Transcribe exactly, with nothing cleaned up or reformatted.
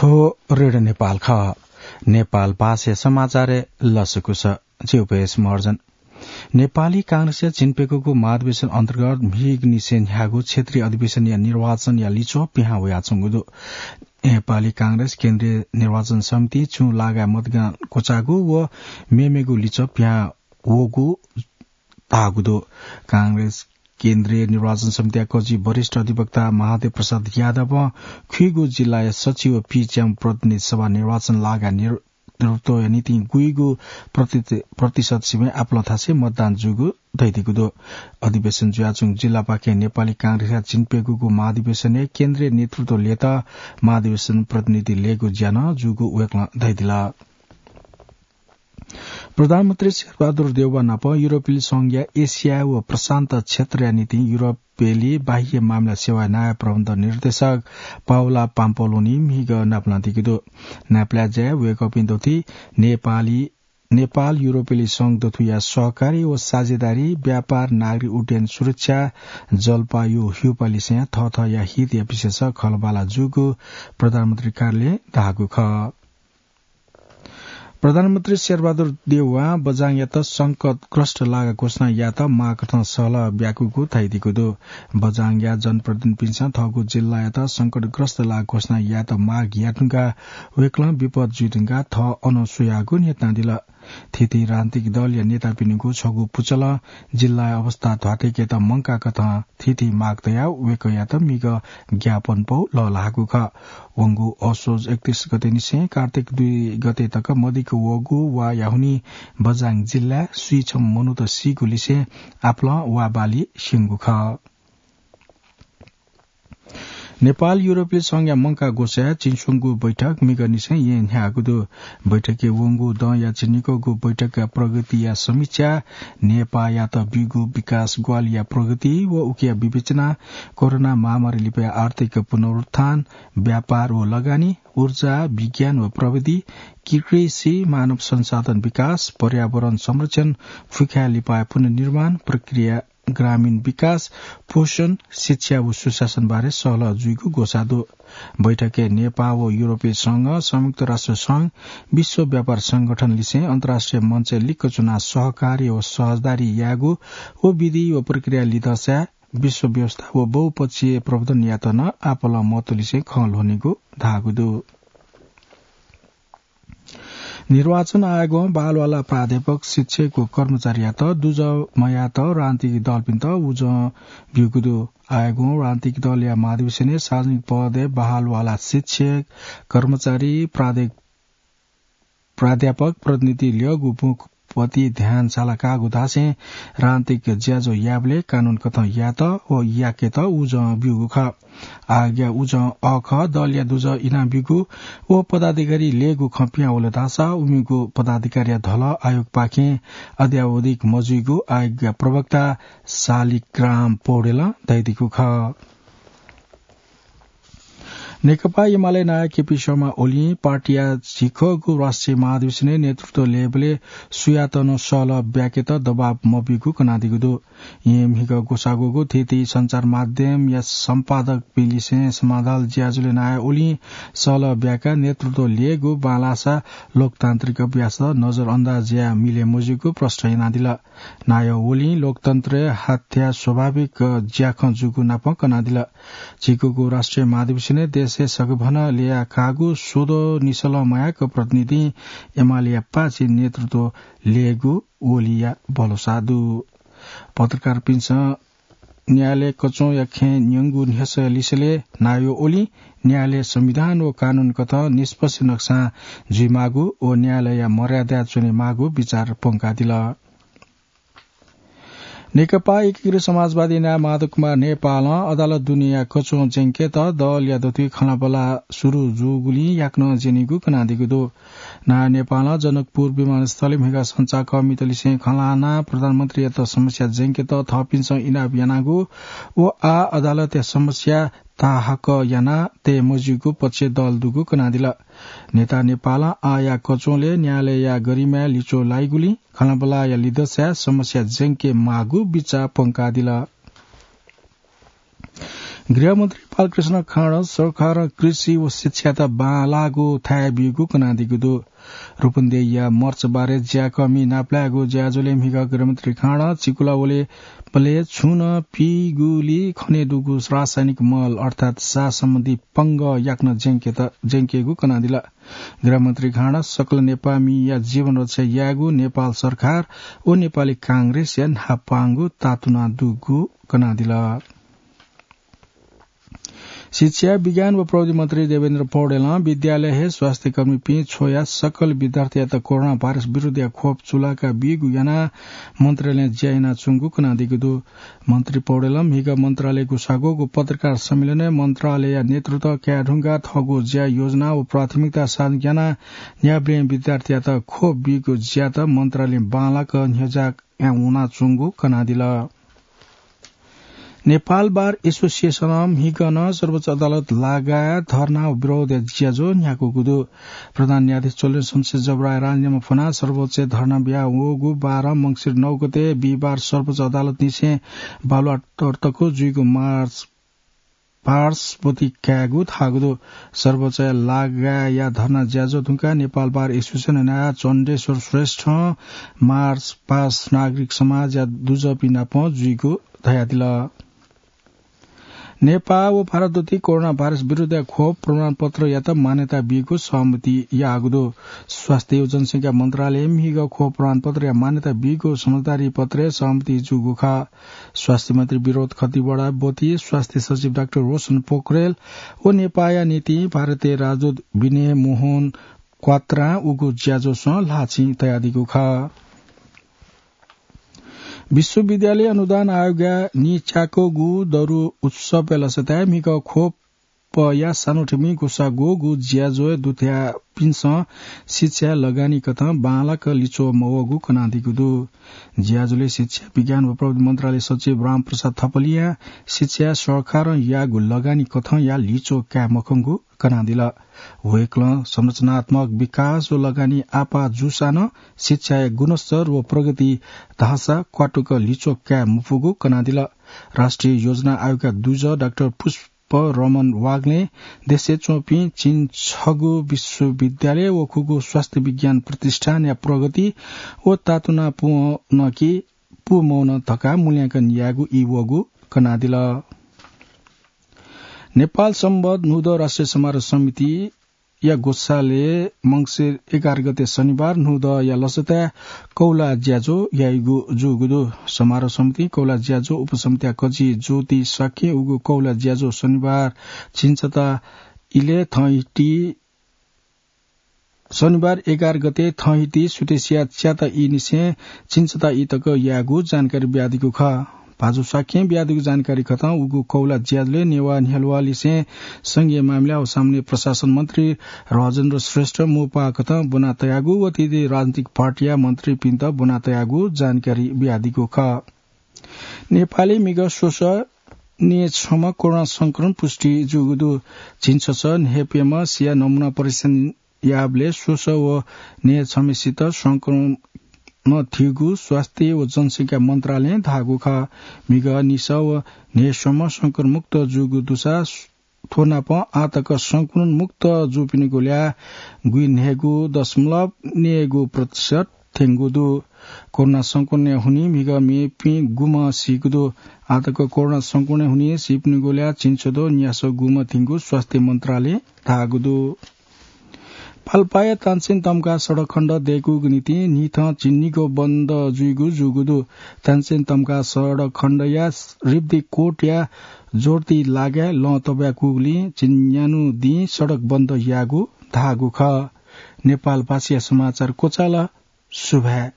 हो रेडियो नेपाल खः। नेपाल भाषाया समाचारय् लसकुस। जिउपेश महर्जन। नेपाली कांग्रेसया झिंप्यकूगु महाधिवेशन अन्तर्गत म्हिगनिसें न्ह्याःगु क्षेत्रीय अधिवेशनया निर्वाचनया लिच्वः पिहां वयाच्वंगु दु। नेपाली कांग्रेस केन्द्रीय निर्वाचन समितिं छुं लागाय् मतदान क्वचाःगु व मेमेगु लिच्वः पिहां वःगु धाःगु दु। कांग्रेस केन्द्रीय निर्वाचन समितिया कजि वरिष्ठ अधिवक्ता महादेव प्रसाद यादवं खुइगु जिल्लाया सचिव पीच्याम्ह प्रतिनिधि सभा निर्वाचन लागाय् नेतृत्वया निंतिं गुइगु प्रति-, प्रतिशत सिबें आपालं थासय् मतदान जूगु धयादीगु दु। अधिवेशन जुयाच्वंगु जिल्लापाखें नेपाली कांग्रेसया झिंप्यकूगु महाधिवेशनय् केन्द्रीय नेतृत्व लयेत महाधिवेशन प्रतिनिधि लयेगु ज्या नं जूगु वय्कलं धयादिल। प्रधानमन्त्री शेरबहादुर देउवा नाप युरोपेली संघया एसिया व प्रशान्त क्षेत्रया निंतिं युरोपेली बाह्य मामिला सेवाया नायः प्रबन्ध निर्देशक पाउला पाम्पलोनी म्हिगः नापलानादीगु दु। नापलाये ज्याय् वय्कःपिं दथुइ नेपाली, नेपाल युरोपेली संघ दथुया सहकारी व साझेदारी, व्यापार, नागरिक उड्डयन सुरक्षा, जलवायु ह्यूपालिसें थःथःया हितया विषयस खँल्हाबल्हा जूगु प्रधानमन्त्री कार्यालयं धाःगु खः। प्रधानमन्त्री शेरबहादुर देउवां बझाङयात संकटग्रस्त लागा घोषणा यायेत माग कथं सहलह ब्याकूगु धयादीगु दु। बझाङया जनप्रतिनिधिपिन्सं थःगु जिल्लायात संकटग्रस्त लागा घोषणा यायेत माग याये धुंकाः वय्कलं विपद जुइ धुंकाः थः अनं स्वयागु न्ह्यथनादिल। थीथी राजनीतिक दलया नेतापिनिगु छगू पुचलं जिल्लाया अवस्था ध्वाथय्केत मंकाः कथं थीथी माग तयाः वय्कःयात म्हिगः ज्ञापनपौ लःल्हाःगु खः। वंगु असोज एकतीस गते निसें कार्तिक दुई गते तक मदिक्क वःगु वाया हुनिं बझाङ जिल्लाय् स्वीछम्ह मनूत सीगु लिसें आपालं वा बाली स्यंगु खः। नेपाल युरोपेली संघया मंकाः ग्वसाय् चिंस्वंगू बैठक म्हिगःनिसें येँ न्ह्याःगु दु। बैठकय् वंगु दँया झिंनिकःगु बैठकया प्रगतिया समीक्षा, नेपाःयात ब्यूगु विकास ग्वाहालिया प्रगति व उकिया विवेचना, कोरोना महामारी लिपा आर्थिक पुनरुत्थान, व्यापार व लगानी, ऊर्जा, विज्ञान व प्रविधि, कृषि, मानव संसाधन विकास, पर्यावरण संरक्षण, फुक्कया लिपाया पुनर्निर्माण प्रक्रिया, ग्रामीण विकास, पोषण, शिक्षा व सुशासन बारे सहलह जुइगु ग्वसाः दु। बैठकय् नेपाः व युरोपीय संघ, संयुक्त राष्ट्र संघ, विश्व व्यापार संगठन लिसें अन्तर्राष्ट्रिय मञ्चय् लिक्क च्वनाः सहकार्य व सहजदारी यायेगु व विधि व प्रक्रिया लिधंसाय् विश्व व्यवस्था व बहुपक्षीय प्रवर्धनयात नं आपालं महत्व लिसें खँ ल्ह्वनेगु धाःगु दु। निर्वाचन आयोगं बालवाला प्राध्यापक, शिक्षक व कर्मचारीयात दुजः मयायेत राजनीतिक दलपिन्त उजं ब्यूगु दु। आयोगं राजनीतिक दलया महाधिवेशनय् सार्वजनिक पदय् बालवाला शिक्षक, कर्मचारी, प्राध्य-, प्राध्यापक, प्रतिनिधि ल्यःगु मुखपति ध्यान सालाकाःगु धासें राजनीतिक ज्याझ्वः यायेबलय् कानून कथं यायेत व याकेत उजं ब्यूगु खः। आयोगया उजं अःखः दलया दुजः इनाब्यूगु व पदाधिकारी लयेगु खँ पिहां वल धाःसा उमिगु पदाधिकारीया धलः आयोगपाखें अद्यावधिक मजुइगु आयोगया प्रवक्ता शालिग्राम पौडेलं धयादीगु खः। नेकपा एमाले नायः केपी शर्मा ओलीं पार्टीया झिंखःगु राष्ट्रिय महाधिवेशनय् नेतृत्व लयेबलय् सुयातं नं सहलह ब्याकेत दबाब मब्यूगु कनादीगु दु। येँ म्हिगः ग्वसाः ग्वःगु थीथी सञ्चार माध्यमया सम्पादकपिंलिसें समाधाल ज्याझ्वलय् नायः ओलीं सहलह ब्याकाः नेतृत्व लयेगु बांलाःसा लोकतान्त्रिक अभ्यासत नजरअन्दाज याये मिले मजुइगु प्रष्ट यानादिल। नायः ओलीं लोकतन्त्रय् हाथ्या स्वाभाविक ज्याखँ जूगु नापं कनादिल। झीगूगु राष्ट्रिय महाधिवेशनय् देशय् सघभनं ल्यया काःगु स्वद्वः निसलं मयाक प्रतिनिधिं एमालेया पाःछि नेतृत्व लयेगु ओलीया भलसा दु। पत्रकारपिन्सं न्यायालय कचंया खँय् न्यंगु न्ह्यसः लिसेलय् नायः ओलीं न्यायालय संविधान व कानून कथं निष्पक्ष नकसां जुइमाःगु व न्यायालयया मर्यादाय् च्वनेमाःगु बिचाः प्वंकादिल। नेकपा एकीकृत समाजवादी नायः माधव कुमार नेपालं अदालत दुनेया कचं ज्यंकेत दलया दथुइ खँल्हाबल्हा सुरु जूगुलिं याकनं ज्यनीगु कनादीगु दु। नायः नेपालं जनकपुर विमानस्थलय् म्हिगः संचारकर्मीतलिसें खँ ल्हानाः प्रधानमन्त्रीयात समस्या ज्यंकेत थःपिन्सं इनाप यानागु व आः अदालतया समस्या ताहाकः यानाः तये मज्यूगु पक्षय् दल दुगु कनादिल। नेता नेपालं आःया कचंलय् न्यायालयया गरिमाय् लिच्वः लाइगुलिं खँल्हाबल्हाया लिधंसाय् समस्या ज्यंके माःगु बिचाः प्वंकादिल। गृहमन्त्री बालकृष्ण खाँड सरकारं कृषि व शिक्षायात बांलाःगु थाय् ब्यूगु कनादीगु दु। रूपन्देहीया मर्चबारे ज्याकःमि नापलायेगु ज्याझ्वलय् म्हिगः गृहमन्त्री खाँडं चिकुला वलेबलय् छुं नं पीगुली खनेदुगु रासायनिक मल अर्थात् साः सम्बन्धी पंगः याकनं ज्यंकेत, ज्यंकेगु कनादिल। गृहमन्त्री खाँडं सकल नेपाःमिया जीवन रक्षा यायेगु नेपाल सरकार व नेपाली कांग्रेसया न्हापांगु तातुना दुगु कनादिल। शिक्षा, विज्ञान व प्रविधि मन्त्री देवेन्द्र पौडेलं विद्यालय हे स्वास्थ्यकर्मीपिं छ्वया सकल विद्यार्थीयात कोरोना भाइरस विरुद्धया खोप चुलाका बीगु यानाः मन्त्रालयं ज्या यानाच्वंगु कनादीगु दु। मन्त्री पौडेलं म्हिगः मन्त्रालयया गुसागोगु पत्रकार सम्मेलनय् मन्त्रालयया नेतृत्व कायेधुंकाः थःगु ज्या योजना व प्राथमिकता साझा यानाः न्यायेबलय् विद्यार्थीयात खोप बीगु ज्यात मन्त्रालयं बांलाक न्ह्यज्याः याना वनाच्वंगु कनादिल। नेपाल बार एसोसिएसनं म्हिगः नं सर्वोच्च अदालत लागाय् धर्ना व विरोधया ज्याझ्वः न्ह्याकूगु दु। प्रधान न्यायाधीश चोलेन्द्र शमशेर जबराया राजीनामा फ्वनाः सर्वोच्चय् धर्ना बिया वःगु बारं मंसिर नौ गते बिहिबार सर्वोच्च अदालतनिसें बालुवाटार तक जुइगु मार्च पार्श्वती कायेगु धाःगु दु। सर्वोच्चय् लागाय्‌या धर्ना ज्याझ्वः धुंकाः नेपाल बार एसोसिएसन नायः चण्डेश्वर श्रेष्ठं मार्च पास नागरिक समाजया दुजःपिं नाप जुइगु धयादिल। नेपाः व भारत दथुइ कोरोना भाइरस विरुद्धया खोप प्रमाणपत्रयात मान्यता बीगु सहमति याःगु दु। स्वास्थ्य व जनसंख्या मन्त्रालयं म्हिगः खोप प्रमाणपत्रया मान्यता बीगु समझदारी पत्रय् सहमति जूगु खः। स्वास्थ्य मन्त्री विनोद खतिवडा ब्वति, स्वास्थ्य सचिव डाक्टर रोशन पोखरेल व नेपाःया निंतिं भारतया राजदूत विनय मोहन क्वात्रां उगु ज्याझ्वलय् ल्हाःचिं तयादीगु खः। विश्वविद्यालय अनुदान आयोगया नीच्याकःगु दरु उत्सवया लसताय् म्हिगः खोपया सानोठिमि गुसागोगु ज्याझ्वलय् दुथ्याःपिन्सं शिक्षाय् लगानीकथं बांलाक लिच्वः मवःगु कनादीगु दु। ज्याझ्वलय् शिक्षा, विज्ञान व प्रविधि मन्त्रालय सचिव रामप्रसाद थपलियां शिक्षाय् सरकारं याःगु लगानीकथंया लिच्वः काये मखंगु कनादिल। वय्कलं संरचनात्मक विकास व लगानी आपाः जूसां नं शिक्षाया गुणस्तर व प्रगति धाःसा क्वातुक लिच्वः काये मफुगु कनादिल। राष्ट्रिय योजना आयोगया दुजः डाक्टर पुष्परमण वाग्लें देशय् च्वंपिं झिंछगू विश्वविद्यालय व खुगू स्वास्थ्य विज्ञान प्रतिष्ठानया प्रगति व तातुना पूवन कि पूमौन धकाः मूल्यांकन यायेगु ई वःगु कनादिल। नेपाल संवत् न्हूदँ राष्ट्रिय समारोह समितिया ग्वसालय् मंसिर एघार गते शनिबार न्हूदँया लसताय् कौला ज्याझ्वः याइगु जूगु दु। समारोह समितिं कौला ज्याझ्वः उपसमितिया कजि ज्योति शाक्यं उगु कौला ज्याझ्वः शनिबार झिंछता इलय् थःहिति शनिबार एघार गते थःहिति सुथसिया च्याता ईनिसें झिंछता ई तक यायेगु जानकारी बियादीगु खः। भाजु शाक्यं बियादीगु जानकारी कथं उगु कौला ज्याझ्वलय् नेवाः न्ह्यलुवालिसें संघीय मामिला व सामान्य प्रशासन मन्त्री राजेन्द्र श्रेष्ठ मोपा कथं ब्वना तयागु व थीथी राजनीतिक पार्टीया मन्त्रीपिन्त ब्वना तयागु जानकारी बियादीगु खः। नेपालय् म्हिगः स्वसः न्हय् छम्ह कोरोना संक्रमण पुष्टि जूगु दु। झिंछसः न्हय्प्यम्ह सिया नमुना परीक्षण याःबलय् स्वसः व न्हय् छम्हसित संक्रमण थ्यूगु स्वास्थ्य व जनसंख्या मन्त्रालयं धाःगु खः। म्हिगः निसः व न्हय् स्वम्ह संक्रमण मुक्त जूगु दुसा थ्व नापं आः तक संक्रमण मुक्त जूपिनिगु ल्याः गुइन्हय्गू दशमलव नय्गू प्रतिशत थ्यंगु दु। कोरोना संक्रमणया हुनिं म्हिगः मेपिं गुम्ह सीगु दु। आः तक कोरोना संक्रमणया हुनिं सीपिनिगु ल्याः झिंछद्वः न्यासः गुम्ह थ्यंगु स्वास्थ्य मन्त्रालयं धाःगु दु। पाल्पाया तानसेन तम्का सडक खण्ड दय्कूगु निंतिं न्हिथं झिंनिगः बन्द जुइगु जूगु दु। तानसेन तम्का सडक खण्डया रिब्दी कोटया जोर्ती लागाय् लं तब्याकूगुलिं झिंन्यान्हु दिं सडक बन्द याःगु धाःगु खः। नेपालभाषाया समाचार क्वचाल। सुभाय्।